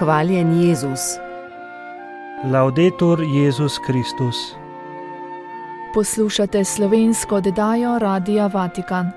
Hvaljen Jezus. Laudetur Jezus Kristus. Poslušate slovensko oddajo Radia Vatikan.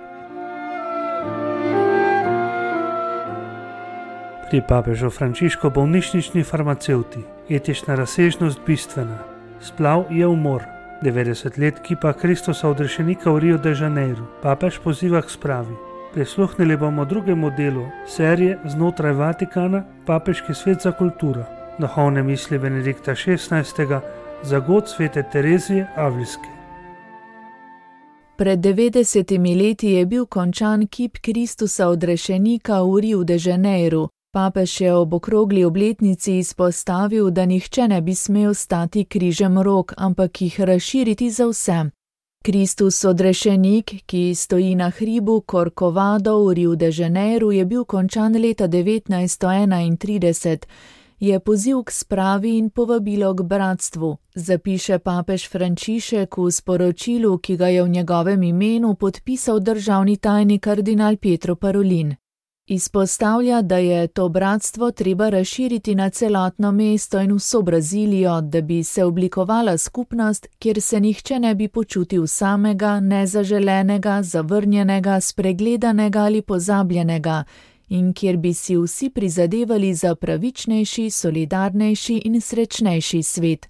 Pri papežu Frančišku bolnišnični farmacevti. Etična razsežnost bistvena. Splav je umor. 90 let kipa Kristusa odrešenika v Rio de Janeiro. Papež poziva k spravi. Prisluhnili bomo drugemu delu serije znotraj Vatikana Papeški svet za kulturo. Duhovne misli Benedikta XVI. Za god svete Terezije Avlijske. Pred 90 leti je bil končan kip Kristusa odrešenika v Rio de Janeiro. Papež je ob okrogli obletnici izpostavil, da nihče ne bi smel stati križem rok, ampak jih razširiti za vse. Kristus odrešenik, ki stoji na hribu Corcovado v Rio de Janeiro, je bil končan leta 1931. Je poziv k spravi in povabilo k bratstvu, zapiše papež Frančišek v sporočilu, ki ga je v njegovem imenu podpisal državni tajnik kardinal Pietro Parolin. Izpostavlja, da je to bratstvo treba razširiti na celotno mesto in vso Brazilijo, da bi se oblikovala skupnost, kjer se nihče ne bi počutil samega, nezaželenega, zavrnjenega, spregledanega ali pozabljenega in kjer bi si vsi prizadevali za pravičnejši, solidarnejši in srečnejši svet.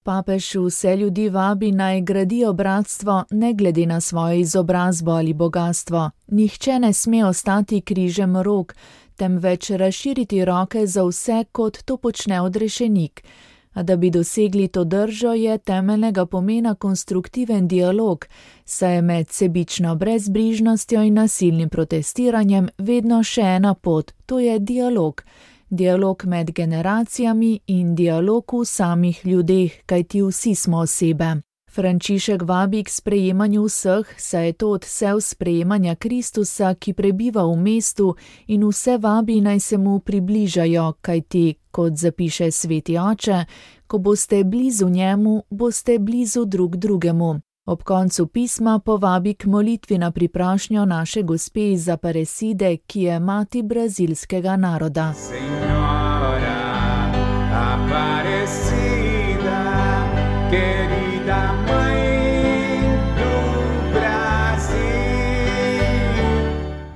Papež vse ljudi vabi naj gradijo bratstvo ne glede na svojo izobrazbo ali bogastvo. Nihče ne sme ostati križem rok, temveč razširiti roke za vse, kot to počne odrešenik. A da bi dosegli to držo, je temeljnega pomena konstruktiven dialog, saj je med sebično brezbrižnostjo in nasilnim protestiranjem vedno še ena pot, to je dialog. Dialog med generacijami in dialog v samih ljudeh, kajti vsi smo osebe. Frančišek vabi k sprejemanju vseh, saj je to odsev sprejemanja Kristusa, ki prebiva v mestu in vse vabi naj se mu približajo, kajti, kot zapiše sveti oče, ko boste blizu njemu, boste blizu drug drugemu. Ob koncu pisma povabi k molitvi na priprošnjo naše gospe iz Aparecide, ki je mati brazilskega naroda. Senhora Aparecida, querida mãe do Brasil.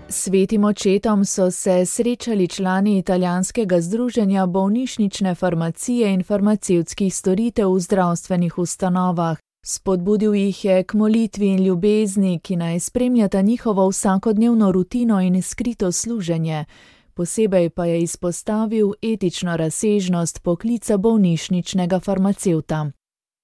Svetim očetom so se srečali člani italijanskega združenja bolnišnične farmacije in farmacevtskih storitev v zdravstvenih ustanovah. Spodbudil jih je k molitvi in ljubezni, ki naj spremljata njihovo vsakodnevno rutino in skrito služenje. Posebej pa je izpostavil etično razsežnost poklica bolnišničnega farmacevta.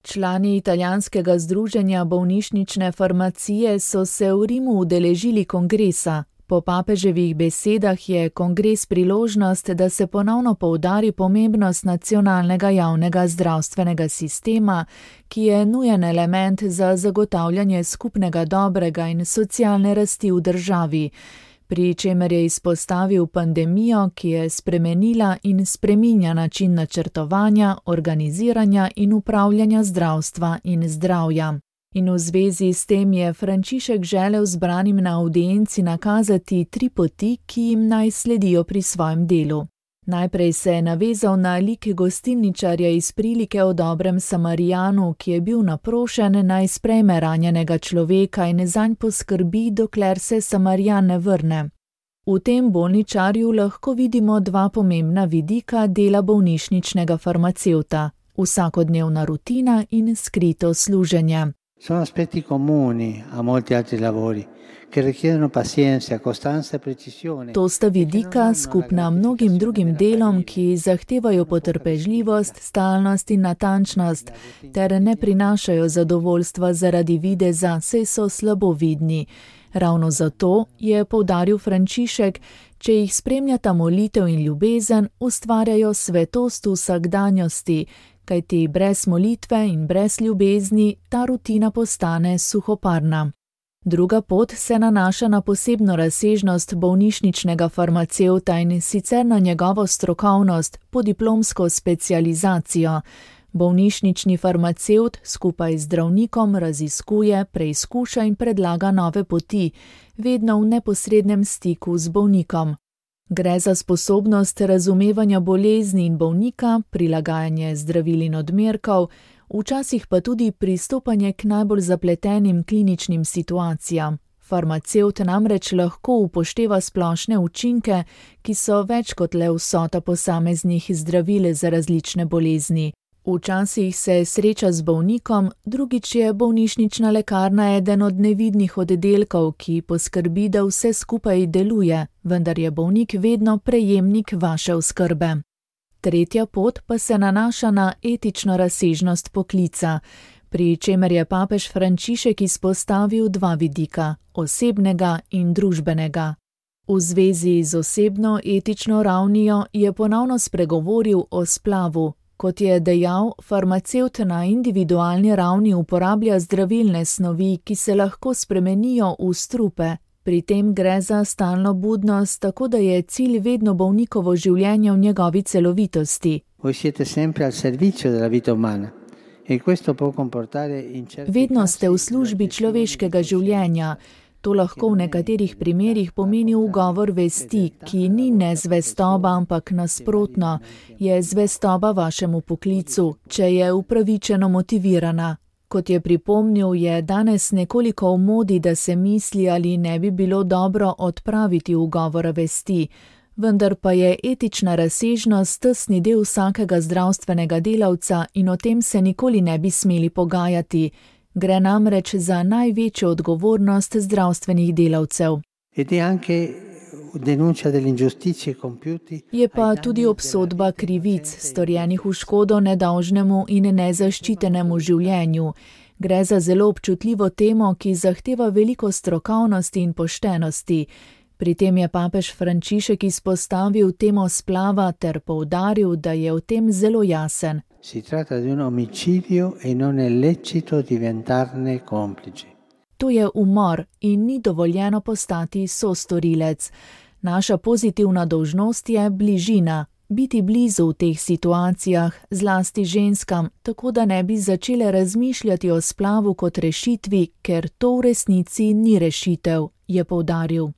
Člani italijanskega združenja bolnišnične farmacije so se v Rimu udeležili kongresa. Po papeževih besedah je kongres priložnost, da se ponovno poudari pomembnost nacionalnega javnega zdravstvenega sistema, ki je nujen element za zagotavljanje skupnega dobrega in socialne rasti v državi, pri čemer je izpostavil pandemijo, ki je spremenila in spreminja način načrtovanja, organiziranja in upravljanja zdravstva in zdravja. In v zvezi s tem je Frančišek želel zbranim na avdienci nakazati 3 poti, ki jim naj sledijo pri svojem delu. Najprej se je navezal na lik gostilničarja iz prilike o dobrem Samarijanu, ki je bil naprošen naj sprejme ranjenega človeka in zanj poskrbi, dokler se Samarijan ne vrne. V tem bolničarju lahko vidimo 2 pomembna vidika dela bolnišničnega farmacevta: vsakodnevna rutina in skrito služenje. Sono aspetti comuni a molti altri lavori che richiedono pazienza, costanza e precisione. To sta vidika skupna mnogim drugim delom, ki zahtevajo potrpežljivost, stalnost in natančnost, ter ne prinašajo zadovoljstva zaradi videza, saj so slabovidni. Ravno zato, je poudaril Frančišek, če jih spremljata molitev in ljubezen, ustvarjajo svetost v vsakdanjosti, kajti brez molitve in brez ljubezni ta rutina postane suhoparna. Druga pot se nanaša na posebno razsežnost bolnišničnega farmacevta in sicer na njegovo strokovnost, podiplomsko specializacijo. Bolnišnični farmacevt skupaj z zdravnikom raziskuje, preizkuša in predlaga nove poti, vedno v neposrednem stiku z bolnikom. Gre za sposobnost razumevanja bolezni in bolnika, prilagajanje zdravil in odmerkov, včasih pa tudi pristopanje k najbolj zapletenim kliničnim situacijam. Farmacevt namreč lahko upošteva splošne učinke, ki so več kot le vsota posameznih zdravil za različne bolezni. Včasih se sreča z bolnikom, drugič je bolnišnična lekarna eden od nevidnih oddelkov, ki poskrbi, da vse skupaj deluje, vendar je bolnik vedno prejemnik vaše oskrbe. Tretja pot pa se nanaša na etično razsežnost poklica, pri čemer je papež Frančišek izpostavil dva vidika, osebnega in družbenega. V zvezi z osebno etično ravnijo je ponovno spregovoril o splavu. Kot je dejal, farmacevt na individualni ravni uporablja zdravilne snovi, ki se lahko spremenijo v strupe. Pri tem gre za stalno budnost, tako da je cilj vedno bolnikovo življenje v njegovi celovitosti. Vedno ste v službi človeškega življenja. To lahko v nekaterih primerih pomeni ugovor vesti, ki ni nezvestoba, ampak nasprotno, je zvestoba vašemu poklicu, če je upravičeno motivirana. Kot je pripomnil, je danes nekoliko v modi, da se misli, ali ne bi bilo dobro odpraviti ugovora vesti, vendar pa je etična razsežnost tesni del vsakega zdravstvenega delavca in o tem se nikoli ne bi smeli pogajati. Gre namreč za največjo odgovornost zdravstvenih delavcev. Je pa tudi obsodba krivic, storjenih v škodo nedolžnemu in nezaščitenemu življenju. Gre za zelo občutljivo temo, ki zahteva veliko strokovnosti in poštenosti. Pri tem je papež Frančišek izpostavil temo splava ter poudaril, da je v tem zelo jasen. Si tratta di un omicidio e non è lecito diventarne complici. To je umor in ni dovoljeno postati sostorilec. Naša pozitivna dolžnost je bližina, biti blizu v teh situacijah, zlasti ženskam, tako da ne bi začele razmišljati o splavu kot rešitvi, ker to v resnici ni rešitev, je poudaril.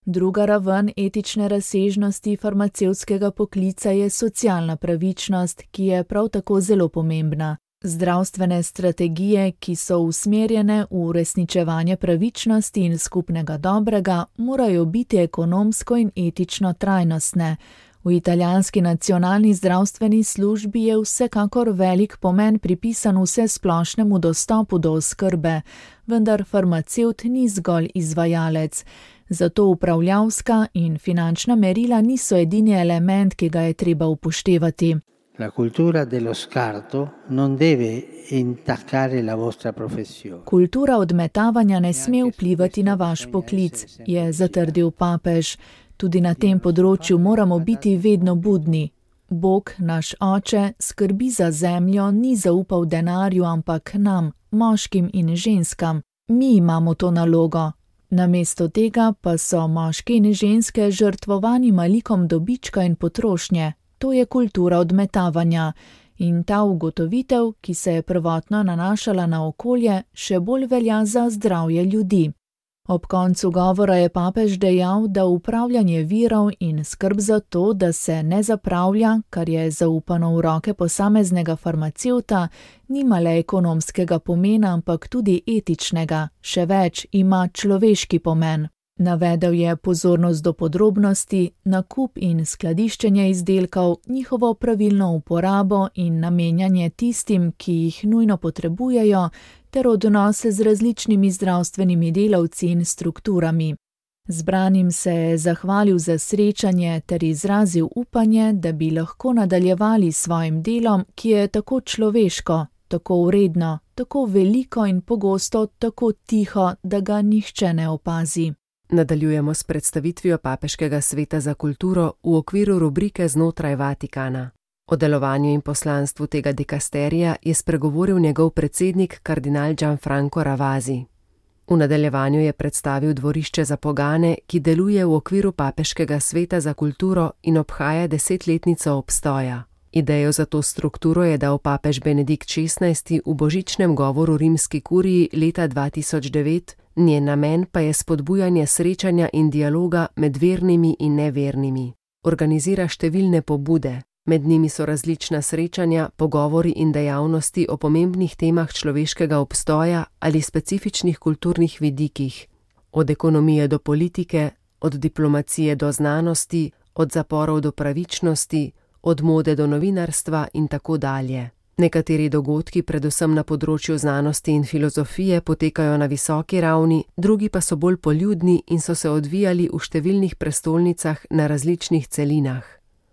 Druga raven etične razsežnosti farmacevtskega poklica je socialna pravičnost, ki je prav tako zelo pomembna. Zdravstvene strategije, ki so usmerjene v uresničevanje pravičnosti in skupnega dobrega, morajo biti ekonomsko in etično trajnostne. V italijanski nacionalni zdravstveni službi je vsekakor velik pomen pripisan vsesplošnemu dostopu do oskrbe, vendar farmacevt ni zgolj izvajalec. Zato upravljavska in finančna merila niso edini element, ki ga je treba upoštevati. La cultura dello scarto non deve intaccare la vostra professione. Kultura odmetavanja ne sme vplivati na vaš poklic, je zatrdil papež. Tudi na tem področju moramo biti vedno budni. Bog, naš oče, skrbi za zemljo, ni zaupal denarju, ampak nam, moškim in ženskam. Mi imamo to nalogo. Namesto tega pa so moški in ženske žrtvovani malikom dobička in potrošnje. To je kultura odmetavanja. In ta ugotovitev, ki se je prvotno nanašala na okolje, še bolj velja za zdravje ljudi. Ob koncu govora je papež dejal, da upravljanje virov in skrb za to, da se ne zapravlja, kar je zaupano v roke posameznega farmacevta, nima le ekonomskega pomena, ampak tudi etičnega, še več ima človeški pomen. Navedel je pozornost do podrobnosti, nakup in skladiščenje izdelkov, njihovo pravilno uporabo in namenjanje tistim, ki jih nujno potrebujejo, ter odnose z različnimi zdravstvenimi delavci in strukturami. Zbranim se je zahvalil za srečanje ter izrazil upanje, da bi lahko nadaljevali s svojim delom, ki je tako človeško, tako vredno, tako veliko in pogosto tako tiho, da ga nihče ne opazi. Nadaljujemo s predstavitvijo Papeškega sveta za kulturo v okviru rubrike Znotraj Vatikana. O delovanju in poslanstvu tega dikasterija je spregovoril njegov predsednik kardinal Gianfranco Ravasi. V nadaljevanju je predstavil dvorišče za pogane, ki deluje v okviru Papeškega sveta za kulturo in obhaja 10-letnico obstoja. Idejo za to strukturo je dal papež Benedikt XVI v božičnem govoru rimski kuriji leta 2009, njen namen pa je spodbujanje srečanja in dialoga med vernimi in nevernimi. Organizira številne pobude, med njimi so različna srečanja, pogovori in dejavnosti o pomembnih temah človeškega obstoja ali specifičnih kulturnih vidikih, od ekonomije do politike, od diplomacije do znanosti, od zaporov do pravičnosti, od mode do novinarstva in tako dalje. Nekateri dogodki, predvsem na področju znanosti in filozofije, potekajo na visoki ravni, drugi pa so bolj poljudni in so se odvijali v številnih prestolnicah na različnih celinah.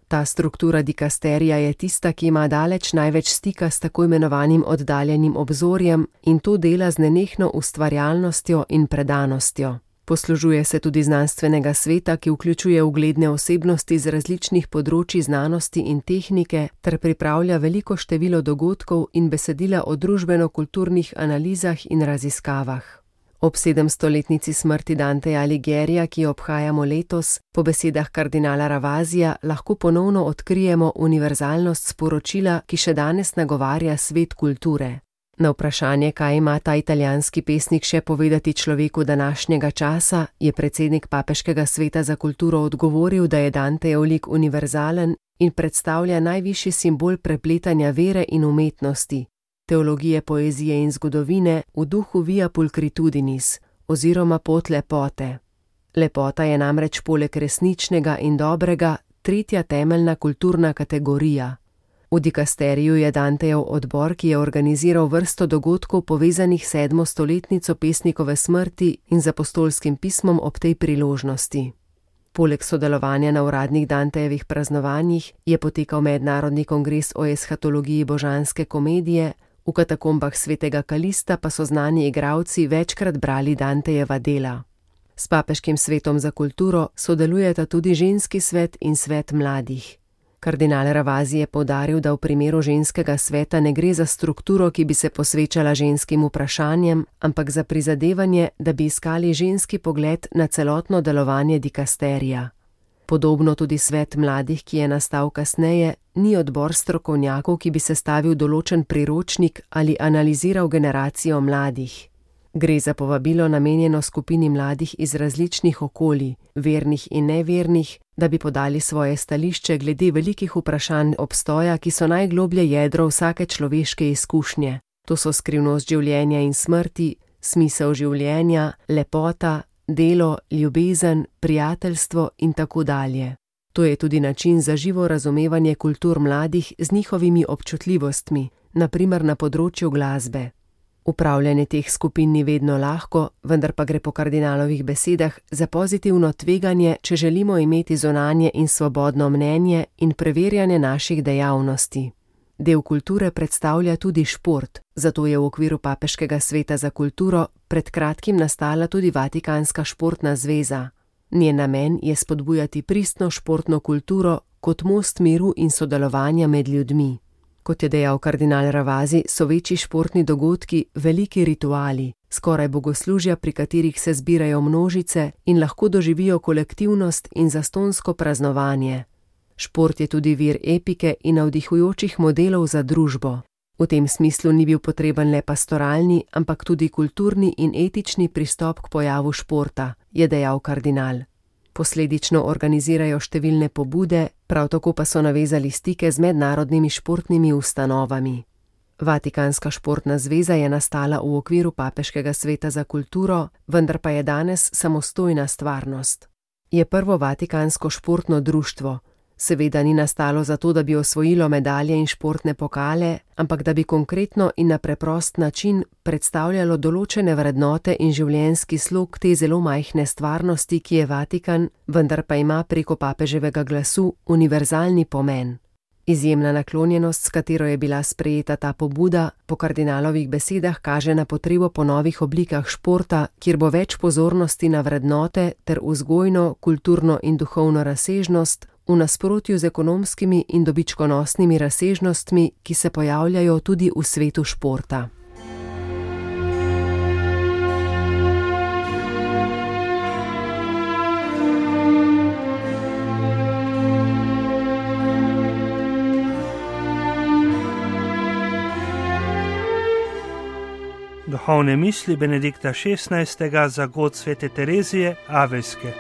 Ta struktura dikasterija je tista, ki ima daleč največ stika s tako imenovanim oddaljenim obzorjem in to dela z nenehno ustvarjalnostjo in predanostjo. Poslužuje se tudi znanstvenega sveta, ki vključuje ugledne osebnosti z različnih področij znanosti in tehnike ter pripravlja veliko število dogodkov in besedila o družbeno-kulturnih analizah in raziskavah. Ob 700-letnici smrti Danteja Alighiera, ki jo obhajamo letos, po besedah kardinala Ravasija lahko ponovno odkrijemo univerzalnost sporočila, ki še danes nagovarja svet kulture. Na vprašanje, kaj ima ta italijanski pesnik še povedati človeku današnjega časa, je predsednik Papeškega sveta za kulturo odgovoril, da je Dantejev lik univerzalen in predstavlja najvišji simbol prepletanja vere in umetnosti, teologije, poezije in zgodovine v duhu via pulcritudinis, oziroma pot lepote. Lepota je namreč poleg resničnega in dobrega tretja temeljna kulturna kategorija. V dikasteriju je Dantejev odbor, ki je organiziral vrsto dogodkov povezanih s 7. stoletnico pesnikove smrti in z apostolskim pismom ob tej priložnosti. Poleg sodelovanja na uradnih Dantejevih praznovanjih je potekal mednarodni kongres o eshatologiji božanske komedije, v katakombah svetega Kalista pa so znani igralci večkrat brali Dantejeva dela. S Papeškim svetom za kulturo sodelujeta tudi ženski svet in svet mladih. Kardinal Ravasi je poudaril, da v primeru ženskega sveta ne gre za strukturo, ki bi se posvečala ženskim vprašanjem, ampak za prizadevanje, da bi iskali ženski pogled na celotno delovanje dikasterija. Podobno tudi svet mladih, ki je nastal kasneje, ni odbor strokovnjakov, ki bi sestavil določen priročnik ali analiziral generacijo mladih. Gre za povabilo namenjeno skupini mladih iz različnih okolij, vernih in nevernih, da bi podali svoje stališče glede velikih vprašanj obstoja, ki so najgloblje jedro vsake človeške izkušnje. To so skrivnost življenja in smrti, smisel življenja, lepota, delo, ljubezen, prijateljstvo in tako dalje. To je tudi način za živo razumevanje kultur mladih z njihovimi občutljivostmi, na primer na področju glasbe. Upravljanje teh skupin ni vedno lahko, vendar pa gre po kardinalovih besedah za pozitivno tveganje, če želimo imeti zunanje in svobodno mnenje in preverjanje naših dejavnosti. Del kulture predstavlja tudi šport, zato je v okviru Papeškega sveta za kulturo pred kratkim nastala tudi Vatikanska športna zveza. Njen namen je spodbujati pristno športno kulturo kot most miru in sodelovanja med ljudmi. Kot je dejal kardinal Ravasi, so večji športni dogodki veliki rituali, skoraj bogoslužja, pri katerih se zbirajo množice in lahko doživijo kolektivnost in zastonsko praznovanje. Šport je tudi vir epike in navdihujočih modelov za družbo. V tem smislu ni bil potreben le pastoralni, ampak tudi kulturni in etični pristop k pojavu športa, je dejal kardinal. Posledično organizirajo številne pobude, prav tako pa so navezali stike z mednarodnimi športnimi ustanovami. Vatikanska športna zveza je nastala v okviru Papeškega sveta za kulturo, vendar pa je danes samostojna stvarnost. Je prvo vatikansko športno društvo. Seveda ni nastalo zato, da bi osvojilo medalje in športne pokale, ampak da bi konkretno in na preprost način predstavljalo določene vrednote in življenjski slog te zelo majhne stvarnosti, ki je Vatikan, vendar pa ima preko papeževega glasu univerzalni pomen. Izjemna naklonjenost, s katero je bila sprejeta ta pobuda, po kardinalovih besedah kaže na potrebo po novih oblikah športa, kjer bo več pozornosti na vrednote ter vzgojno, kulturno in duhovno razsežnost, v nasprotju z ekonomskimi in dobičkonosnimi razsežnostmi, ki se pojavljajo tudi v svetu športa. Duhovne misli Benedikta XVI. Za god svete Terezije Avejske.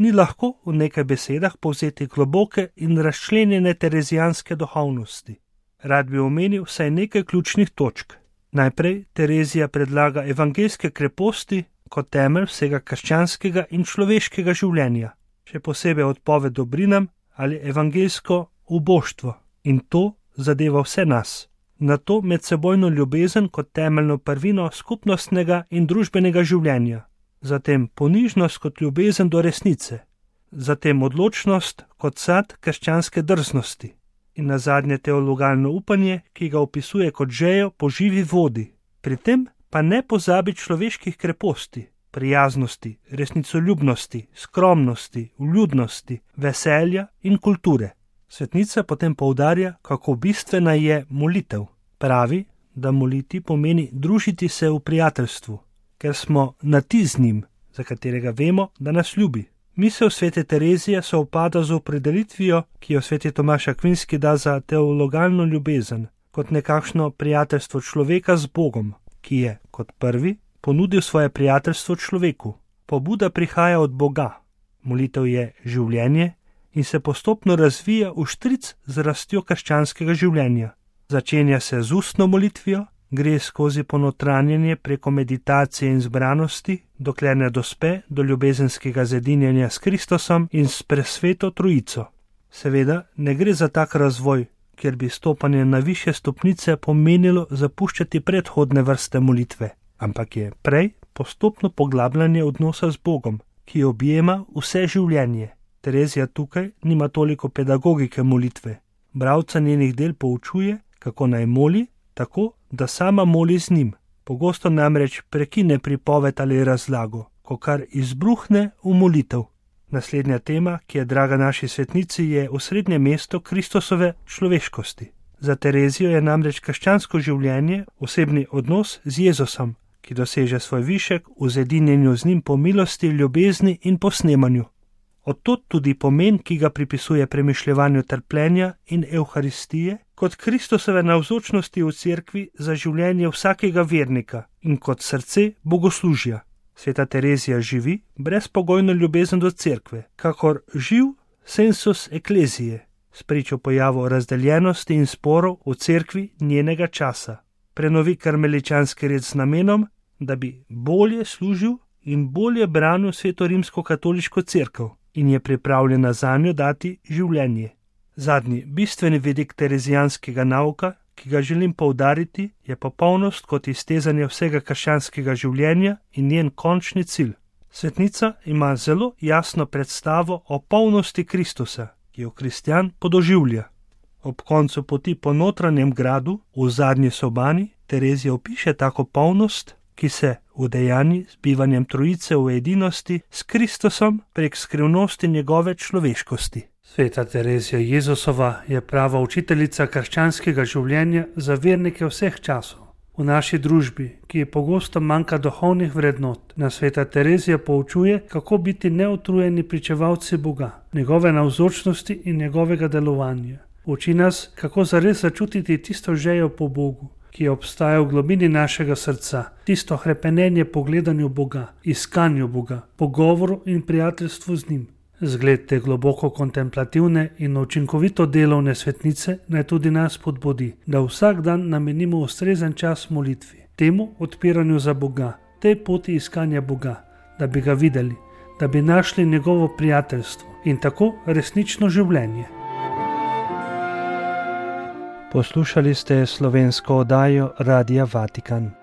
ni lahko v nekaj besedah povzeti globoke in razčlenjene terezijanske duhovnosti. Rad bi omenil vsaj nekaj ključnih točk. Najprej Terezija predlaga evangeljske kreposti kot temelj vsega krščanskega in človeškega življenja, še posebej odpoved dobrinam ali evangeljsko uboštvo, in to zadeva vse nas. Nato medsebojno ljubezen kot temeljno prvino skupnostnega in družbenega življenja, zatem ponižnost kot ljubezen do resnice, zatem odločnost kot sad krščanske drznosti in nazadnje teologalno upanje, ki ga opisuje kot žejo po živi vodi. Pri tem pa ne pozabi človeških kreposti, prijaznosti, resnicoljubnosti, skromnosti, vljudnosti, veselja in kulture. Svetnica potem poudarja, kako bistvena je molitev. Pravi, da moliti pomeni družiti se v prijateljstvu, ker smo na ti z njim, za katerega vemo, da nas ljubi. Misel svete Terezije sovpada z opredelitvijo, ki jo sveti Tomaž Akvinski da za teologalno ljubezen, kot nekakšno prijateljstvo človeka z Bogom, ki je, kot prvi, ponudil svoje prijateljstvo človeku. Pobuda prihaja od Boga. Molitev je življenje in se postopno razvija vštric z rastjo krščanskega življenja. Začenja se z ustno molitvijo, gre skozi ponotranjenje preko meditacije in zbranosti, dokler ne dospe do ljubezenskega zedinjenja s Kristusom in s presveto trojico. Seveda ne gre za tak razvoj, kjer bi stopanje na višje stopnice pomenilo zapuščati predhodne vrste molitve, ampak je prej postopno poglabljanje odnosa z Bogom, ki objema vse življenje. Terezija tukaj nima toliko pedagogike molitve. Bralca njenih del poučuje, kako naj moli, tako, da sama moli z njim. Pogosto namreč prekine pripoved ali razlago, ko kar izbruhne v molitev. Naslednja tema, ki je draga naši svetnici, je osrednje mesto Kristusove človeškosti. Za Terezijo je namreč krščansko življenje osebni odnos z Jezusom, ki doseže svoj višek v zedinjenju z njim po milosti, ljubezni in posnemanju. Odtod tudi pomen, ki ga pripisuje premišljevanju trpljenja in evharistije, kot Kristusove navzočnosti v cerkvi za življenje vsakega vernika in kot srce bogoslužja. Sveta Terezija živi brezpogojno ljubezen do cerkve, kakor živ sensus eklezije, spričo pojavu razdeljenosti in sporov v cerkvi njenega časa. Prenovi karmeličanski red z namenom, da bi bolje služil in bolje branil sveto rimsko-katoliško cerkev in je pripravljena zanjo dati življenje. Zadnji bistveni vidik terezijanskega nauka, ki ga želim poudariti, je popolnost kot iztezanje vsega krščanskega življenja in njen končni cilj. Svetnica ima zelo jasno predstavo o polnosti Kristusa, ki jo kristjan podoživlja. Ob koncu poti po notranjem gradu, v zadnji sobani, Terezija opiše tako polnost, ki se udejanji z bivanjem trojice v edinosti s Kristusom prek skrivnosti njegove človeškosti. Sveta Terezija Jezusova je prava učiteljica krščanskega življenja za vernike vseh časov. V naši družbi, ki je pogosto manjka duhovnih vrednot, nas sveta Terezija poučuje, kako biti neutrujeni pričevalci Boga, njegove navzočnosti in njegovega delovanja. Uči nas, kako zares začutiti tisto željo po Bogu, ki obstaja v globini našega srca, tisto hrepenenje po gledanju Boga, iskanju Boga, pogovoru in prijateljstvu z njim. Zgled te globoko kontemplativne in učinkovito delovne svetnice naj tudi nas podbudi, da vsak dan namenimo ustrezen čas molitvi, temu odpiranju za Boga, tej poti iskanja Boga, da bi ga videli, da bi našli njegovo prijateljstvo in tako resnično življenje. Poslušali ste slovensko oddajo Radia Vatikan.